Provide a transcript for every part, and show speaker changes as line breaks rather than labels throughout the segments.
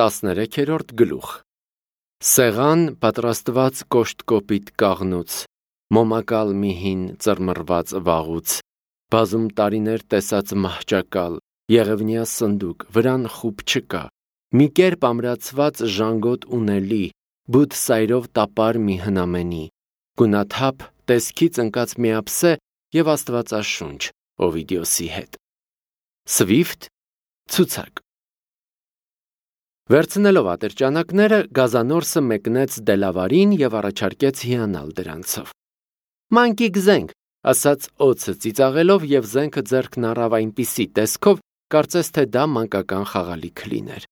13-րդ գլուխ Սեղան պատրաստված կոշտ-կոպիտ կաղնուց, մոմակալ մի հին ծռմռված վաղուց, բազում տարիներ տեսած մահճակալ, եղևնյա սնդուկ, վրան խուբ չկա, մի կերպ ամրացված ժանգոտ ունելի, բութ սայրով տապար մի հնամենի, գունաթափ, տեսքից ընկած միապսե և աստվածաշունչ, Օվիդիոսի հետ։ Սվիֆտ, ցուցակ։ Վերցնելով ատրճանակները, Գազանորսը մեկնեց Դելավարին և առաջարկեց հիանալ դրանցով։ «Մանկիկ զենք», ասաց օձը ծիծաղելով և զենքը ձեռքն առավ այնպիսի տեսքով, կարծես թե դա մանկական խաղալիք լիներ։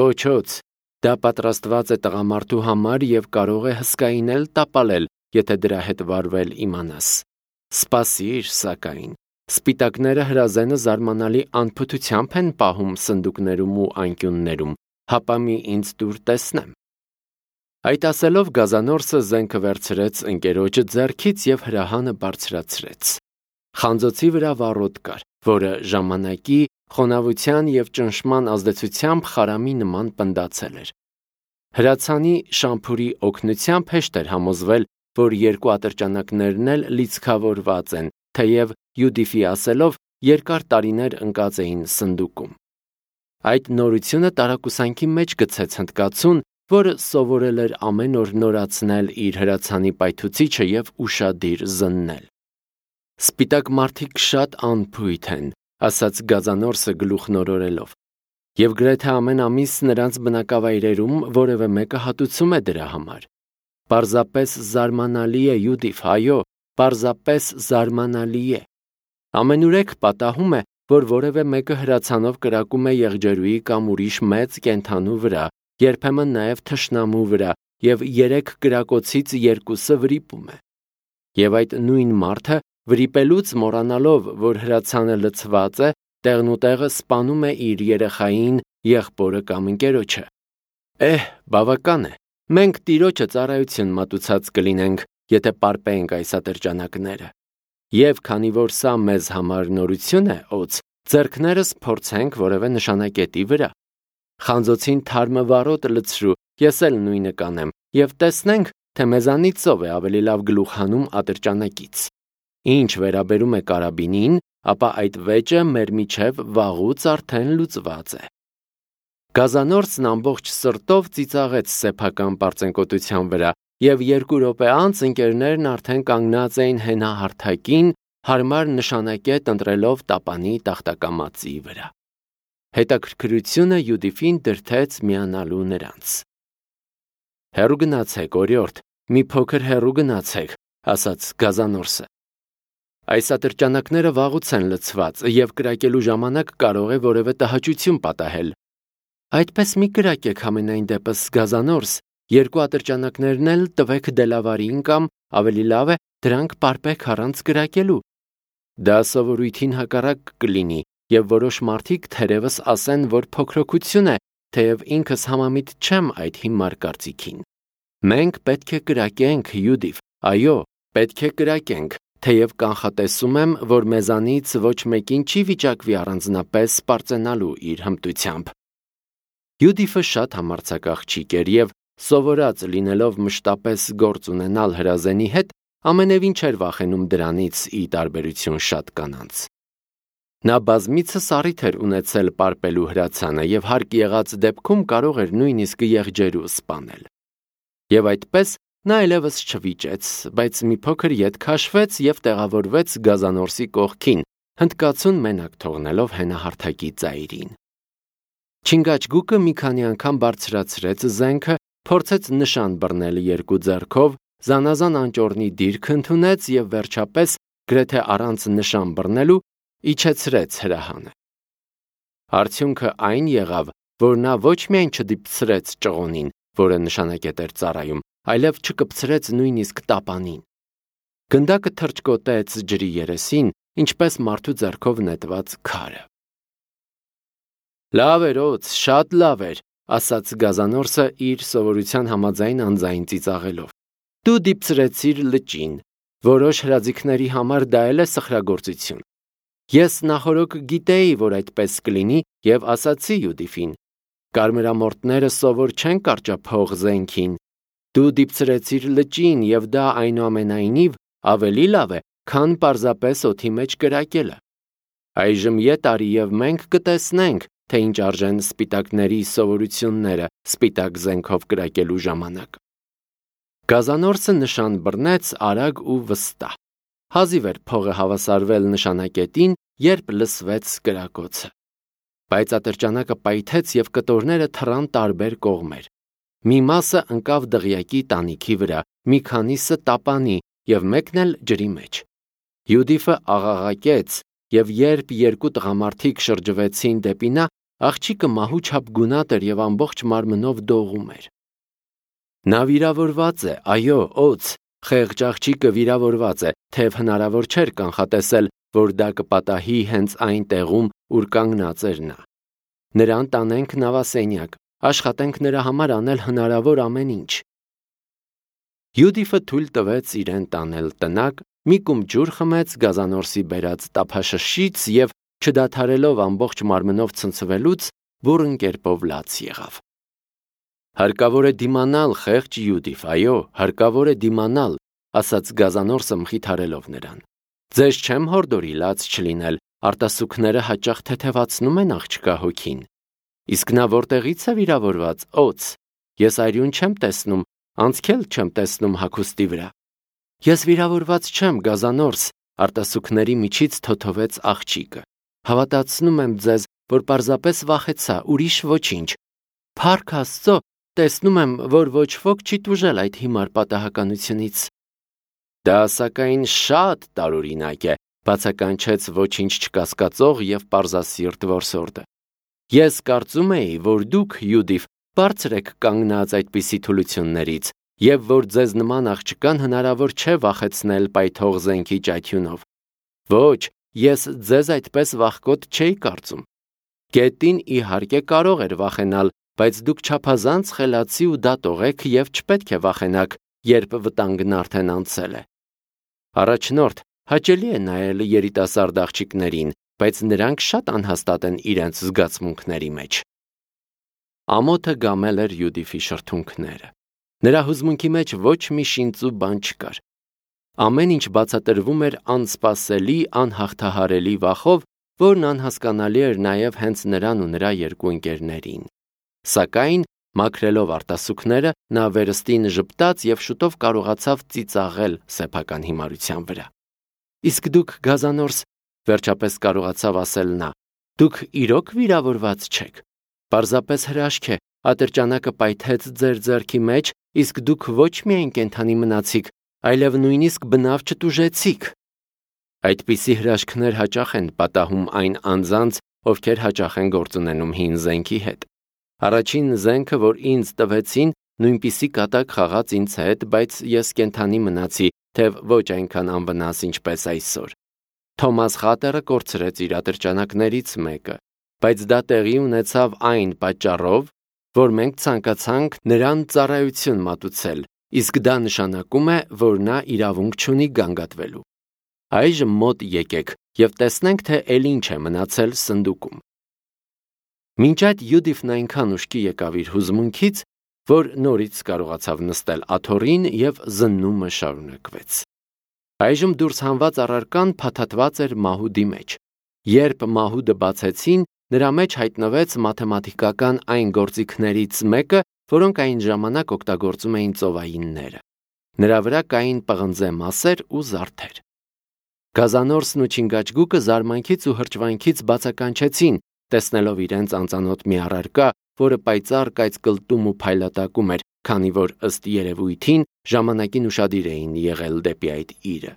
Ոչ օձ, դա պատրաստված է տղամարդու համար և կարող է հսկային էլ տապալել, եթե դրա հետ վարվել իմանաս։ Սպասիր, սակայն, սպիտակները հրազենը զարմանալի անփութությամբ են պահում սնդուկներում ու անկյուններում, հապա մի ինձ տուր տեսնեմ։ Այդ ասելով Գազանորսը զենքը վերցրեց ընկերոջը ձեռքից և հրահանը բարձրացրեց։ Խանձոցի վրա վառոդ կար, որը ժամանակի, խոնավության և ճնշման ազդեցությամբ խարամի նման պնդացել էր։ Հրացանի շամփուրի օգնությամբ հեշտ էր համոզվել, որ երկու ատրճանակներն էլ լիցքավորված են, թեև Յուդիֆի ասելով երկար տարիներ ընկած էին սնդուկում։ Այդ նորությունը տարակուսանքի մեջ գցեց հնդկացուն, որը սովորել էր ամեն օր նորացնել իր հրացանի պայթուցիչը և ուշադիր զննել։ Սպիտակ մարդիկ շատ անփույթ են, ասաց Գազանորսը գլուխնորորելով, և գրեթե ամեն ամիս նրանց բնակավայրերում որևէ մեկը հատուցում է դրա համար։ Պարզապես զարմանալի է, Յուդիֆ, այո, պարզապես զարմանալի է։ Ամենուրեք պատահում է, որ որևէ մեկը հրացանով կրակում է եղջերուի կամ ուրիշ մեծ կենդանու վրա, երբեմն նաև թշնամու վրա, և 3 կրակոցից 2-ը վրիպում է։ Եվ այդ նույն մարդը վրիպելուց մոռանալով, որ հրացանը լցված է, տեղնուտեղը սպանում է իր երեխային, եղբորը կամ ընկերոջը։ Բավական է, մենք Տիրոջը ծառայություն մատուցած կլինենք, եթե պարպենք այս ատրճանակները։ Եվ քանի որ սա մեզ համար նորություն է, օձ, ձեռքներս փորձենք որևէ նշանակետի վրա։ Խանձոցին թարմը վառոդ լցրու, ես էլ նույնը կանեմ, և տեսնենք, թե մեզանից ով է ավելի լավ գլուխ հանում ատրճանակից։ Ինչ վերաբերում է կարաբինին, ապա այդ վեճը մեր միջև վաղուց արդեն լուծված է։ Գազանորսն ամբողջ սրտով ծիծաղեց սեփական պարծենկոտության վրա, և 2 րոպե անց ընկերներն արդեն կանգնած էին հենահարթակին, հարմար նշանակետ ընտրելով տապանի տախտակամածի վրա։ Հետաքրքրությունը Յուդիֆին դրդեց միանալու նրանց։ «Հեռու գնացեք, օրիորդ, մի փոքր հեռու գնացեք», ասաց Գազանորսը։ «Այս ատրճանակները վաղուց են լցված, և կրակելու ժամանակ կարող է որևէ տհաճություն պատահել»։ «Այդպես մի կրակեք համենայն դեպս, Գազանորս, 2 ատրճանակներն էլ տվեք Դելավարին կամ, ավելի լավ է, դրանք պարպեք առանց կրակելու։ Դա սովորույթին հակառակ կլինի, և որոշ մարդիկ թերևս ասեն, որ փոքրոքություն է, թեև ինքս համամիտ չեմ այդ հիմար կարծիքին։ Մենք պետք է կրակենք, Յուդիֆ, այո, պետք է կրակենք, թեև կանխատեսում եմ, որ մեզանից ոչ մեկին չի վիճակվի առանձնապես պարծենալու իր հմտությամբ։ Յուդիֆը շատ համարձակ աղջիկ էր և, սովորած լինելով մշտապես գործ ունենալ հրազենի հետ, ամենևին չէր վախենում դրանից ի տարբերություն շատ կանանց։ Նա բազմիցս առիթ էր ունեցել պարպելու հրացանը և հարկ եղած դեպքում կարող էր նույնիսկ եղջերու սպանել։ Եվ այդպես նա այլևս չվիճեց, բայց մի փոքր ետ քաշվեց և տեղավորվեց Գազանորսի կողքին, հնդկացուն մենակ թողնելով հենահարթակի ծայրին։ Չինգաչգուկը մի քանի անգամ բարձրացրեց զենքը, փորձեց նշան բռնել 2 ձեռքով, զանազան անճոռնի դիրք ընդունեց և վերջապես, գրեթե առանց նշան բռնելու, իջեցրեց հրահանը։ Արդյունքը այն եղավ, որ նա ոչ միայն չդիպցրեց ճղոնին, որը նշանակետ էր ծառայում, այլև չկպցրեց նույնիսկ տապանին։ Գնդակը թռչկոտեց ջրի երեսին, ինչպես մարդու ձեռքով նետված քարը։ «Լավ էր, օձ, շատ լավ էր», ասաց Գազանորսը իր սովորության համաձայն անձայն ծիծաղելով։ «Դու դիպցրեցիր լճին։ Որոշ հրաձիգների համար դա էլ է սխրագործություն։ Ես նախօրոք գիտեի, որ այդպես կլինի, և ասացի Յուդիֆին. Կարմրամորտները սովոր չեն կարճափող զենքին։ Դու դիպցրեցիր լճին, եւ դա այնուամենայնիվ ավելի լավ է, քան պարզապես օդի մեջ կրակելը։ Այժմ ետ արի եւ մենք կտեսնենք, թե ինչ արժեն սպիտակների սովորությունները սպիտակ զենքով կրակելու ժամանակ։ Գազանորսը նշան բռնեց արագ ու վստահ։ Հազիվ էր փողը հավասարվել նշանակետին, երբ լսվեց կրակոցը։ Բայց ատրճանակը պայթեց եւ կտորները թռան տարբեր կողմեր։ Մի մասը ընկավ դղյակի տանիքի վրա, մի քանիսը տապանի եւ մեկն էլ ջրի մեջ։ Յուդիֆը աղաղակեց, եւ երբ երկու տղամարդիկ շրջվեցին դեպի նա, աղջիկը մահու չափ գունատ էր եւ ամբողջ մարմնով դողում էր։ Նա վիրավորված է, այո, օձ, խեղճ աղջիկը վիրավորված է, թեև հնարավոր չէր կանխատեսել, որ դա կպատահի հենց այն տեղում, ուր կանգնած էր նա։ Նրան տանենք նավասենյակ, աշխատենք նրա համար անել հնարավոր ամեն ինչ։ Յուդիֆը թույլ տվեց իրեն տանել տնակ, մի կում ջուր խմեց գազանորսի բերած տափաշշից եւ չդադարելով ամբողջ մարմնով ցնցվելուց, բուռն կերպով լաց եղավ։ Հարկավոր է դիմանալ, խեղճ Յուդիֆ, այո, հարկավոր է դիմանալ, ասաց գազանորսը մխիթարելով նրան։ Ձեզ չեմ հորդորի լաց չլինել, արտասուքները հաճախ թեթևացնում են աղջկա հոգին։ Իսկ նա որտեղից է վիրավորված, օձ։ Ես այրուն չեմ տեսնում, անցքել չեմ տեսնում հագուստի վրա։ Ես վիրավորված չեմ, գազանորս, արտասուքների միջից թոթովեց աղջիկը։ Հավատացնում եմ ձեզ, որ պարզապես վախեցա, ուրիշ ոչինչ։ Փառք Աստծո, տեսնում եմ, որ ոչ ոք չի տուժել այդ հիմար պատահականությունից։ Դա սակայն շատ տարօրինակ է, բացականչեց ոչինչ չկասկածող եւ պարզասիրտ որսորդը։ Ես կարծում էի, որ դուք, Յուդիֆ, բարձր եք կանգնած այդպիսի թուլություններից, եւ որ ձեզ նման աղջկան հնարավոր չէ վախեցնել պայթող զենքի ճայթյունով։ Ոչ, ես ձեզ այդպես վախկոտ չէի կարծում։ Գետին իհարկե կարող էր վախենալ, բայց դուք չափազանց խելացի ու դատող եք եւ չպետք է վախենաք, երբ վտանգն արդեն անցել է։ Առաջնորդ, հաճելի է նայել երիտասարդ աղջիկներին, բայց նրանք շատ անհաստատ են իրենց զգացմունքների մեջ։ Ամոթը գամել էր Յուդիֆի շրթունքները։ Նրա հուզմունքի մեջ ոչ մի շինծու բան չկար։ Ամեն ինչ բացատրվում էր անսպասելի, անհաղթահարելի վախով, որն անհասկանալի էր նաև հենց նրան ու նրա երկու ընկերներին։ Սակայն, մաքրելով արտասուքները, նա վերստին ժպտաց եւ շուտով կարողացավ ծիծաղել սեփական հիմարության վրա։ Իսկ դուք, գազանորս, վերջապես կարողացավ ասել նա, դուք իրոք վիրավորված չեք։ Պարզապես հրաշք է, ատրճանակը պայթեց ձեր ձեռքի մեջ, իսկ դուք ոչ միայն կենդանի մնացիք, այլև նույնիսկ բնավ չտուժեցիք։ Այդպիսի հրաշքներ հաճախ են պատահում այն անձանց, ովքեր հաճախ են գործ ունենում հին զենքի հետ։ Առաջին զենքը, որ ինձ տվեցին, նույնպիսի կատակ խաղաց ինձ հետ, բայց ես կենդանի մնացի, թեև ոչ այնքան անվնաս ինչպես այսօր։ Թոմաս Խատերը կորցրեց իր ատրճանակներից մեկը, բայց դա տեղի ունեցավ այն պատճառով, որ մենք ցանկացանք նրան ծառայություն մատուցել, իսկ դա նշանակում է, որ նա իրավունք չունի գանգատվելու։ Այժմ մոտ եկեք եւ տեսնենք, թե էլ ինչ է մնացել սնդուկում։ Մինչ այդ Յուդիֆն այնքան ուշքի եկավ իր հուզմունքից, որ նորից կարողացավ նստել աթոռին եւ զննումը շարունակվեց։ Այժմ դուրս հանված առարկան փաթաթված էր մահուդի մեջ։ Երբ մահուդը բացեցին, նրա մեջ հայտնվեց մաթեմատիկական այն գործիքներից մեկը, որոնք այն ժամանակ օգտագործում էին ծովայինները։ Նրա վրա կային պղնձե մասեր ու զարդեր։ Գազանորսն ու Չինգաչգուկը զարմանքից ու հրճվանքից բացականչեցին, տեսնելով իրենց անծանոթ մի առարկա, որը պայծառ կայծկլտում ու փայլատակում էր, քանի որ ըստ երևույթին ժամանակին ուշադիր էին եղել դեպի այդ իրը։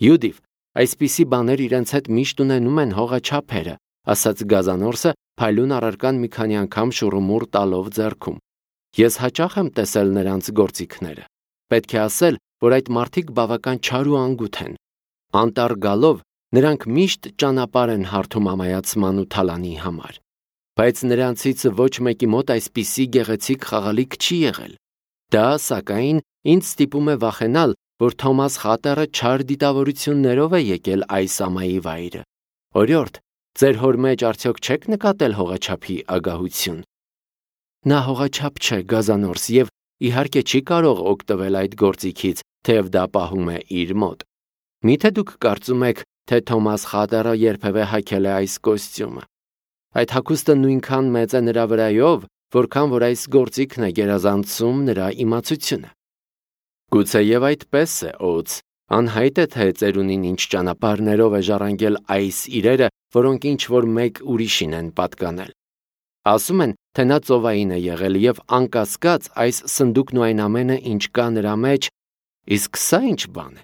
Յուդիֆ, այսպիսի բաներ իրենց հետ միշտ ունենում են հողաչափերը, ասաց Գազանորսը, փայլուն առարկան մի քանի անգամ շուռումուռ տալով ձեռքում։ Ես հաճախ եմ տեսել նրանց գործիքները։ Պետք է ասել, որ այդ մարդիկ բավական չար ու անգութ են։ Անտառ գալով նրանք միշտ ճանապարհ են հարթում ամայացման ու թալանի համար։ Բայց նրանցից ոչ մեկի մոտ այսպիսի գեղեցիկ խաղալիք չի եղել։ Դա, սակայն, ինձ ստիպում է վախենալ, որ Թոմաս Խատերը չար դիտավորություններով է եկել այս ամայի վայրը։ Օրիորդ, ձեր հոր մեջ արդյոք չեք նկատել հողաչափի ագահություն։ Նա հողաչափ չէ գազանորս եւ իհարկե չի կարող օգտվել այդ գործիքից, թեև դա պահում է իր մոտ։ Միթե դուք կարծում եք, թե Թոմաս Խատերը երբևէ հագել է այս կոստյումը։ Այդ հագուստը նույնքան մեծ է նրա վրայով, որքան որ այս գործիքն է գերազանցում նրա իմացությունը։ Գուցեև այդպես է, Օց, անհայտ է, թե ծերունին ինչ ճանապարհներով է ժառանգել այս իրերը, որոնք ինչ-որ մեկ ուրիշին են պատկանել։ Ասում են, թե նա ծովային է եղել եւ անկասկած այս սնդուկն ու այն ամենը, ինչ կա նրա մեջ, իսկ սա ինչ բան է։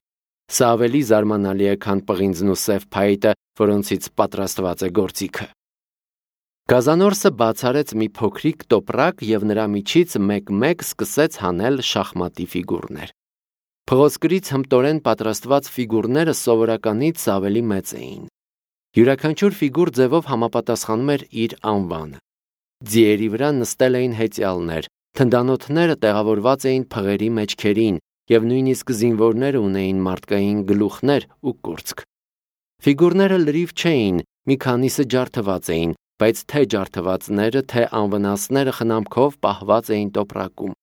Սա ավելի զարմանալի է, քան պղինձն ու սև փայտը, որոնցից պատրաստված է գործիքը։ Գազանորսը բացարեց մի փոքրիկ տոպրակ եւ նրա միջից մեկ-մեկ սկսեց հանել շախմատի ֆիգուրներ։ Փղոսկրից հմտորեն պատրաստված ֆիգուրները սովորականից ավելի մեծ էին։ Յուրաքանչյուր ֆիգուր ձևով համապատասխանում էր իր անվանը։ Ձիերի վրա նստել էին հեծյալներ, թնդանոթները տեղավորված էին փղերի մեջքերին եւ նույնիսկ զինվորները ունեին մարդկային գլուխներ ու կուրծք։ Ֆիգուրները լրիվ չէին, մի քանիսը ջարդված էին, բայց թե ջարդվածները, թե անվնասները խնամքով պահված էին տոպրակում։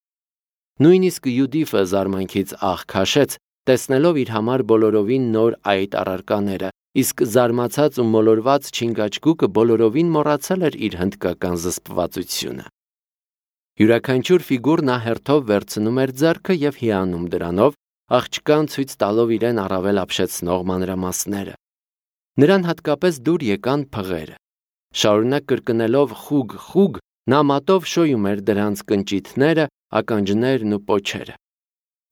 Նույնիսկ Յուդիֆը զարմանքից աղ քաշեց, տեսնելով իր համար բոլորովին նոր այդ առարկաները, իսկ զարմացած ու մոլորված Չինգաչգուկը բոլորովին մոռացել էր իր հնդկական զսպվածությունը։ Յուրաքանչյուր ֆիգուր նա հերթով վերցնում էր ձեռքը եւ հիանում դրանով, աղջկան ցույց տալով իրեն առավել ապշեցնող մանրամասները։ Նրան հատկապես դուր եկան փղերը։ Շարունակ կրկնելով խուգ, նա մատով շոյում էր դրանց կնճիթները, ականջներն ու պոչերը։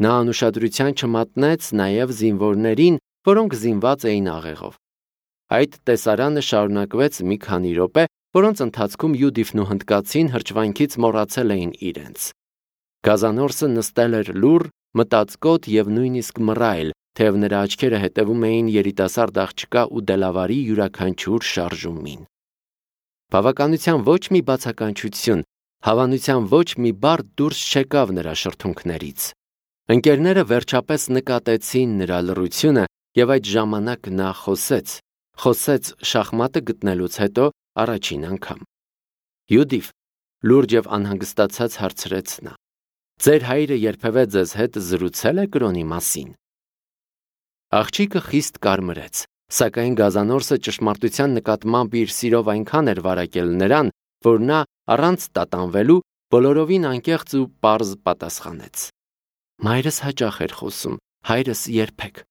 Նա անուշադրության չմատնեց նաև զինվորներին, որոնք զինված էին աղեղով։ Այդ տեսարանը շարունակվեց մի քանի րոպե, որոնց ընթացքում Յուդիֆն ու հնդկացին հրճվանքից մոռացել էին իրենց։ Գազանորսը նստել էր լուռ, մտածկոտ եւ նույնիսկ մռայլ, թեև նրա աչքերը հետևում էին երիտասարդ աղջկա ու դելավարի յուրաքանչյուր շարժումին։ Բավականության ոչ մի բացականչություն, հավանության ոչ մի բառ դուրս չեկավ նրա շրթունքներից։ Ընկերները վերջապես նկատեցին նրա լռությունը եւ այդ ժամանակ նա խոսեց շախմատը գտնելուց հետո առաջին անգամ։ Յուդիֆ, լուրջ եւ անհանգստացած հարցրեց նա. Ձեր հայրը երբևէ ձեզ հետ զրուցել է կրոնի մասին։ Աղջիկը խիստ կարմրեց, սակայն Գազանորսը ճշմարտության նկատմամբ իր սիրով այնքան էր վարակել նրան, որ նա առանց տատանվելու բոլորովին անկեղծ ու պարզ պատասխանեց. Մայրս հաճախ էր խոսում, հայրս երբեք։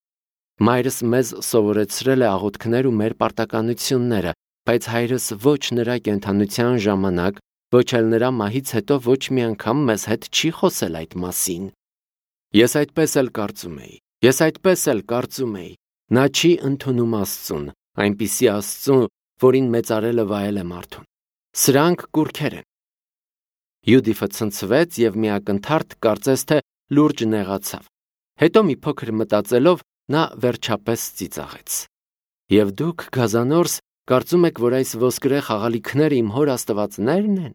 Մայրս մեզ սովորեցրել է աղոթքներ ու մեր պարտականությունները, բայց հայրս ոչ նրա կենդանության ժամանակ, ոչ էլ նրա մահից հետո ոչ մի անգամ մեզ հետ չի խոսել այդ մասին։ Ես այդպես էլ կարծում էի։ Նա չի ընդունում Աստծուն, այնպիսի Աստծուն, որին մեծարելը վայել է մարդուն։ Սրանք կուռքեր են։ Յուդիֆը ցնցվեց եւ մի ակնթարթ կարծես թե լուրջ նեղացավ։ Հետո մի փոքր մտածելով նա վերջապես ծիծաղեց։ Եվ դուք, Գազանորս, կարծում եք, որ այս ոսկրե խաղալիքները իմ հոր աստվածներն են։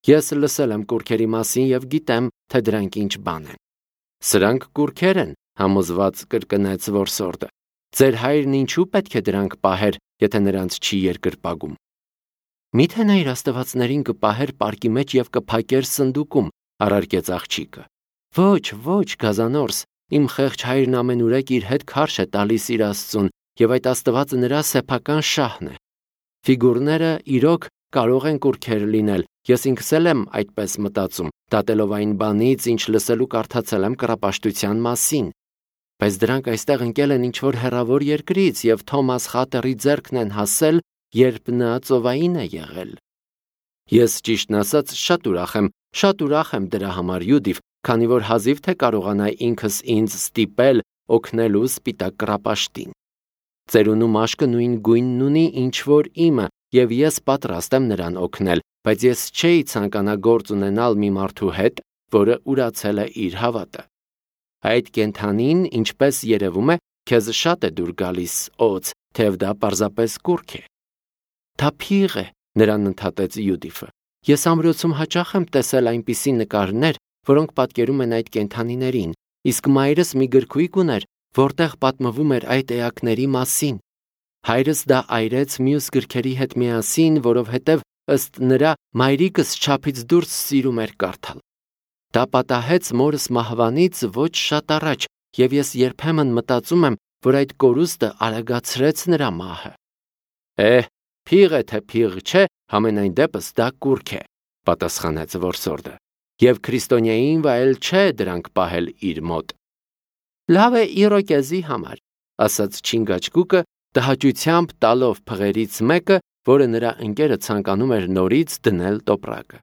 Ես լսել եմ կուռքերի մասին եւ գիտեմ, թե դրանք ինչ բան են։ Սրանք կուռքեր են, համոզված կրկնեց որսորդը։ Ձեր հայրն ինչու պետք է դրանք պահեր, եթե նրանց չի երկրպագում։ Միթե նա իր աստվածներին կպահեր պարկի մեջ եւ կփակեր սնդուկում, առարկեց աղջիկը։ Ոչ, Գազանորս, իմ խեղճ հայրն ամենուրեք իր հետ քարշ է տալիս իր Աստծուն, եւ այդ աստվածը նրա սեփական շահն է։ Ֆիգուրները իրոք կարող են կուռքեր լինել, ես ինքս էլ եմ այդպես մտածում, դատելով այն բանից, ինչ լսելու կարդացել եմ կռապաշտության մասին։ Բայց դրանք այստեղ ընկել են ինչ-որ հեռավոր երկրից եւ Թոմաս Խատերի ձեռքն են հասել, երբ նա ծովային է եղել։ Ես ճիշտն ասած շատ ուրախ եմ դրա համար, Յուդիֆ, քանի որ հազիվ թե կարողանա ինքս ինձ ստիպել օգնելու սպիտակ կռապաշտին։ Ծերունու մաշկը նույն գույնն ունի, ինչ որ իմը, եւ ես պատրաստ եմ նրան օգնել, բայց ես չէի ցանկանա գործ ունենալ մի մարդու հետ, որը ուրացել է իր հավատը։ Այդ կենդանին, ինչպես երևում է, քեզ շատ է դուր գալիս, Օց, թեև դա պարզապես կուռք է։ Դա փիղ է, նրան ընդհատեց Յուդիֆը։ Ես ամրոցում հաճախ եմ տեսել այնպիսի նկարներ, որոնք պատկերում են այդ կենդանիներին, իսկ մայրս մի գրքույկ ուներ, որտեղ պատմվում էր այդ էակների մասին։ Հայրս դա այրեց մյուս գրքերի հետ միասին, որովհետև ըստ նրա մայրիկս չափից դուրս սիրում էր կարդալ։ Դա պատահեց մորս մահվանից ոչ շատ առաջ, եւ ես երբեմն մտածում եմ, որ այդ կորուստը արագացրեց նրա մահը։ Փիղ է թե փիղ չէ, համենայն դեպս դա կուռք է, պատասխանեց որսորդը, եւ քրիստոնյային վայել չէ դրանք պահել իր մոտ։ Լավ է իրոկեզի համար, ասաց Չինգաչգուկը, տհաճությամբ տալով փղերից մեկը, որը նրա ընկերը ցանկանում էր նորից դնել տոպրակը։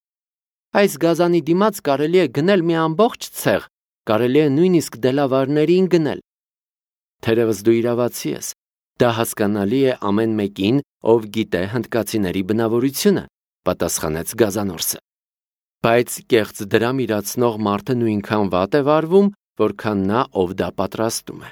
Այս գազանի դիմաց կարելի է գնել մի ամբողջ ցեղ, կարելի է նույնիսկ դելավարներին գնել։ Թերևս դու իրավացի ես, դա հասկանալի է ամեն մեկին, ով գիտե հնդկացիների բնավորությունը, պատասխանեց գազանորսը։ Բայց կեղծ դրամ իրացնող մարդը նույնքան վատ է վարվում, որքան նա, ով դա պատրաստում է։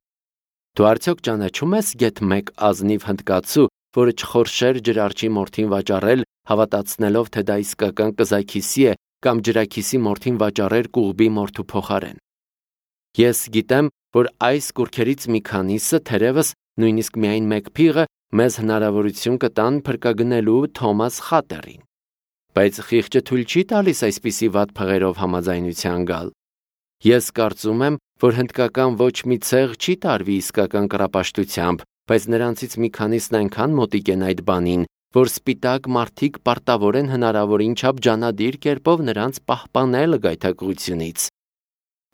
Դու արդյոք ճանաչում ես գեթ մեկ ազնիվ հնդկացու, որը չխորշեր ջրարջի մորթին վաճառել, հավատացնելով, թե դա իսկական կզաքիսի է, կամ ջրաքիսի մորթին վաճառեր կուղբի մորթու փոխարեն։ Ես գիտեմ, որ այս կուռքերից մի քանիսը թերևս նույնիսկ միայն մեկ փիղը մեզ հնարավորություն կտան փրկագնելու Թոմաս Խատերին։ Բայց խիղճը թույլ չի տալիս այսպիսի վատ փղերով համաձայնության գալ։ Ես կարծում եմ, որ հնդկական ոչ մի ցեղ չի տարվի իսկական կռապաշտությամբ, բայց նրանցից մի քանիսն այնքան մոտիկ են այդ բանին, որ սպիտակ մարդիկ պարտավոր են հնարավորին չափ ջանադիր կերպով նրանց պահպանել գայթակղությունից։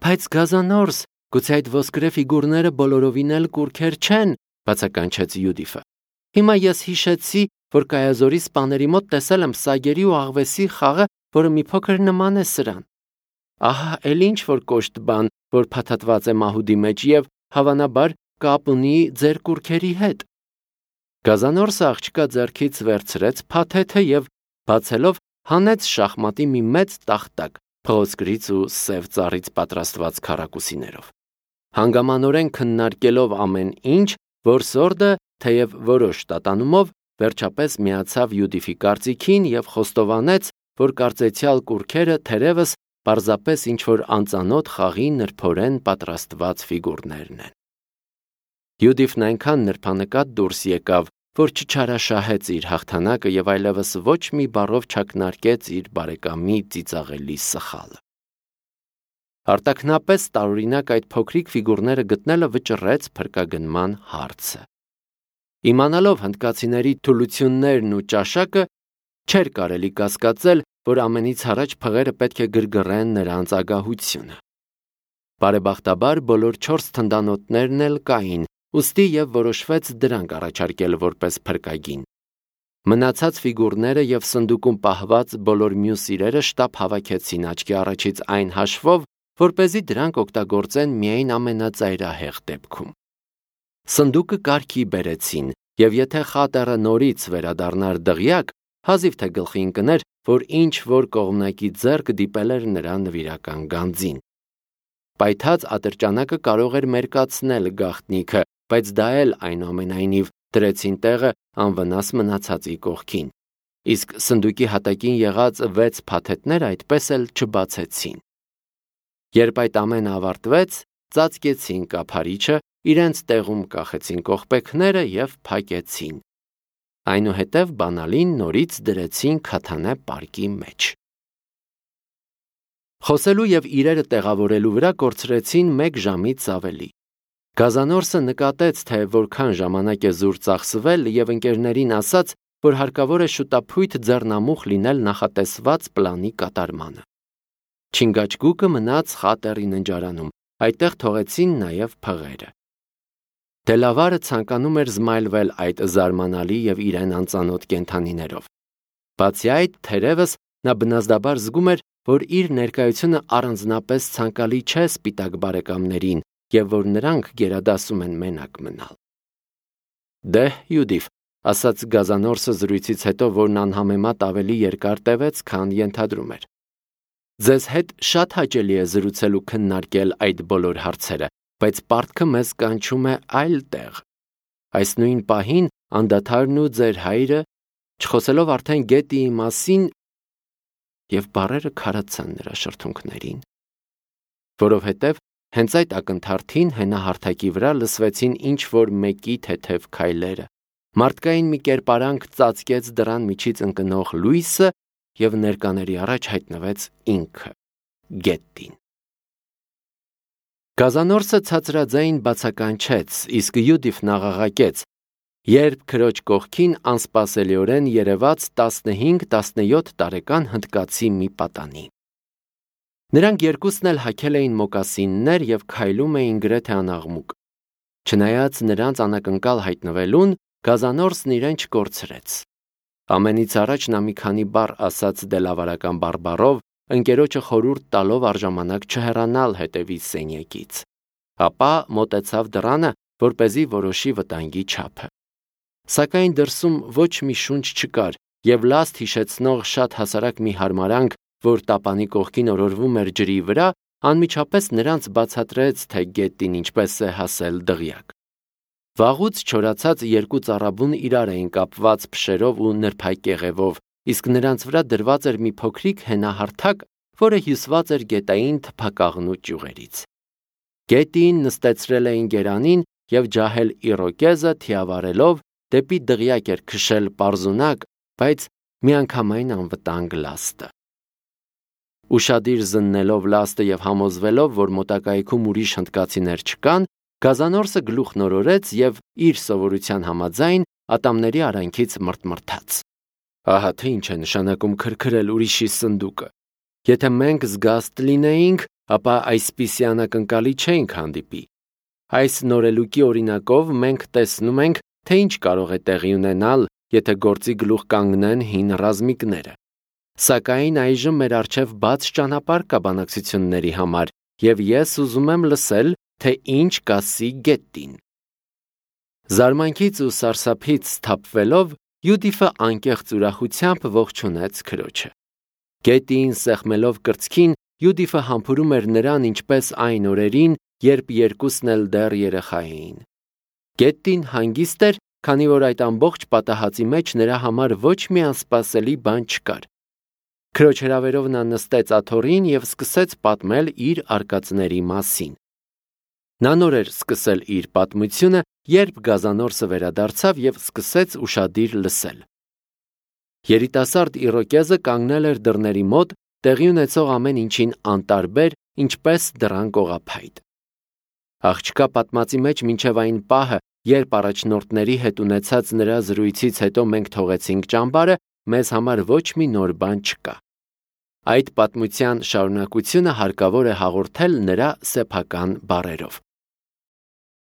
Բայց գազանորս, գուցե այդ ոսկրե ֆիգուրները բոլորովին էլ կուռքեր չեն, բացականչեց Յուդիֆը։ Հիմա ես հիշեցի, որ Կայազորի սպաների մոտ տեսել եմ սագերի ու աղվեսի խաղը, որը մի փոքր նման է սրան։ Ահա էլ ինչ որ կոշտ բան, որ փաթաթված է մահուդի մեջ եւ հավանաբար կապ ունի ձեր կուռքերի հետ։ Գազանորսը աղջկա ձեռքից վերցրեց փաթեթը եւ բացելով հանեց շախմատի մի մեծ տախտակ, փղոսկրից ու սև ծառից պատրաստված քառակուսիներով։ Հանգամանորեն քննարկելով ամեն ինչ, որսորդը, թեև որոշ տատանումով, վերջապես միացավ Յուդիֆի կարծիքին եւ խոստովանեց, որ կարծեցյալ կուռքերը թերևս պարզապես ինչ-որ անծանոթ խաղի նրբորեն պատրաստված ֆիգուրներն են։ Յուդիֆն այնքան նրբանկատ դուրս եկավ, որ չչարաշահեց իր հաղթանակը եւ այլևս ոչ մի բառով չակնարկեց իր բարեկամի ծիծաղելի սխալը։ Արտաքնապես տարօրինակ այդ փոքրիկ ֆիգուրները գտնելը վճռեց փրկագնման հարցը։ Իմանալով հնդկացիների թուլություններն ու ճաշակը, չէր կարելի կասկածել, որ ամենից առաջ փղերը պետք է գրգռեն նրանց ագահությունը։ Բարեբախտաբար բոլոր 4 թնդանոթներն էլ կային, ուստի եւ որոշվեց դրանք առաջարկել որպես փրկագին։ Մնացած ֆիգուրները եւ սնդուկում պահված բոլոր մյուս իրերը շտապ հավաքեցին աչքի առաջից այն հաշվով, որպեսզի դրանք օգտագործեն միայն ամենածայրահեղ դեպքում։ Սնդուկը կարգի բերեցին, եւ եթե Խատերը նորից վերադառնար դղյակ, հազիվ թե գլխի ընկներ, որ ինչ որ կողմնակի ձեռք դիպել էր նրա նվիրական գանձին։ Պայթած ատրճանակը կարող էր մերկացնել գաղտնիքը, բայց դա էլ այնուամենայնիվ դրեցին տեղը անվնաս մնացածի կողքին։ Իսկ սնդուկի հատակին եղած 6 փաթեթները այդպես էլ չբացեցին։ Երբ այդ ամենը ավարտվեց, ծածկեցին կափարիչը, իրենց տեղում կախեցին կողպեքները եւ փակեցին։ Այնուհետև բանալին նորից դրեցին քաթանե պարկի մեջ։ Խոսելու եւ իրերը տեղավորելու վրա կորցրեցին 1 ժամից ավելի։ Գազանորսը նկատեց, թե որքան ժամանակ է զուր ծախսվել եւ ընկերներին ասաց, որ հարկավոր է շուտափույթ ձեռնամուխ լինել նախատեսված պլանի կատարմանը։ Չինգաչգուկը մնաց Խատերի ննջարանում, այդտեղ թողեցին նաեւ փղերը։ Դելավարը ցանկանում էր զմայլվել այդ զարմանալի եւ իրեն անծանոթ կենդանիներով։ Բացի այդ, թերևս նա բնազդաբար զգում էր, որ իր ներկայությունը առանձնապես ցանկալի չէ սպիտակ բարեկամներին եւ որ նրանք գերադասում են մենակ մնալ։ Դե, Յուդիֆ, ասաց Գազանորսը զրույցից հետո, որն անհամեմատ ավելի երկար տևեց, քան ենթադրում էր։ Ձեզ հետ շատ հաճելի է զրուցել ու քննարկել այդ բոլոր հարցերը, բայց պարտքը մեզ կանչում է այլ տեղ։ Այս նույն պահին անդադարն ու ձեր հայրը, չխոսելով արդեն գետիի մասին, եւ բառերը քարացան նրա շրթունքներին, որովհետեւ հենց այդ ակնթարթին հենահարթակի վրա լսվեցին ինչ որ մեկի թեթև քայլերը, Մարդկային մի կերպարանք ծածկեց դռան միջից ընկնող լույսը և ներկաների առաջ հայտնվեց ինքը՝ գետին։ Գազանորսը ցածրաձայն բացականչեց, իսկ Յուդիֆն աղաղակեց, երբ քրոջ կողքին անսպասելիորեն երևաց 15-17 տարեկան հնդկացի մի պատանի։ Նրանք երկուսն էլ հագել էին մոկասիններ և քայլում էին գրեթե անաղմուկ։ Չնայած նրանց անակնկալ հայտնվելուն, Գազանորսն իրեն չկորցրեց։ Ամենից առաջ նա մի քանի բառ ասաց դելավարական բարբառով, ընկերոջը խորհուրդ տալով առժամանակ չհեռանալ հետևից սենյակից։ Ապա մոտեցավ դռանը, որպեսզի որոշի վտանգի չափը։ Սակայն դրսում ոչ մի շունչ չկար, և լաստ հիշեցնող շատ հասարակ մի հարմարանք, որ տապանի կողքին օրորվում էր ջրի վրա, անմիջապես նրանց բացատրեց, թե գետին ինչպես է հասել դղյակ։ Վաղուց չորացած երկու ծառաբուն իրար էին կապված փշերով ու նրբակեղևով, իսկ նրանց վրա դրված էր մի փոքրիկ հենահարթակ, որը հյուսված էր գետային թփակաղնու ճյուղերից։ Գետին նստեցրել էին գերանին և ջահել Իրոկեզը թիավարելով դեպի դղյակ էր քշել պարզունակ, բայց միանգամայն անվտանգ լաստը։ Ուշադիր զննելով լաստը և համոզվելով, որ մոտակայքում ուրիշ հնդկացիներ չկան, Գազանորսը գլուխ նորորեց և իր սովորության համաձայն ատամների արանքից մրթմրթաց։ Ահա թե ինչ է նշանակում քրքրել ուրիշի սնդուկը։ Եթե մենք զգաստ լինեինք, ապա այսպիսի անակնկալի չէինք հանդիպի։ Այս նորելուկի օրինակով մենք տեսնում ենք, թե ինչ կարող է տեղի ունենալ, եթե գործի գլուխ կանգնեն հին ռազմիկները։ Սակայն այժմ մեր առջև բաց ճանապարհ կա բանակցությունների համար, և ես ուզում եմ լսել, թե ինչ կասի գետին։ Զարմանքից ու սարսափից սթափվելով, Յուդիֆը անկեղծ ուրախությամբ ողջունեց քրոջը։ Գետին սեղմելով կրծքին, Յուդիֆը համբուրում էր նրան ինչպես այն օրերին, երբ երկուսն էլ դեռ երեխա էին։ Գետին հանգիստ էր, քանի որ այդ ամբողջ պատահածի մեջ նրա համար ոչ մի անսպասելի բան չկար։ Քրոջ հրավերով նա նստեց աթոռին և սկսեց պատմել իր արկածների մասին։ Նա նոր էր սկսել իր պատմությունը, երբ Գազանորսը վերադարձավ և սկսեց ուշադիր լսել։ Երիտասարդ Իրոկեզը կանգնել էր դռների մոտ, տեղի ունեցող ամեն ինչին անտարբեր, ինչպես դռան կողափայտ։ Աղջկա պատմածի մեջ մինչև այն պահը, երբ առաջնորդների հետ ունեցած նրա զրույցից հետո մենք թողեցինք ճամբարը, մեզ համար ոչ մի նոր բան չկա։ Այդ պատմության շարունակությունը հարկավոր է հաղորդել նրա սեփական բառերով։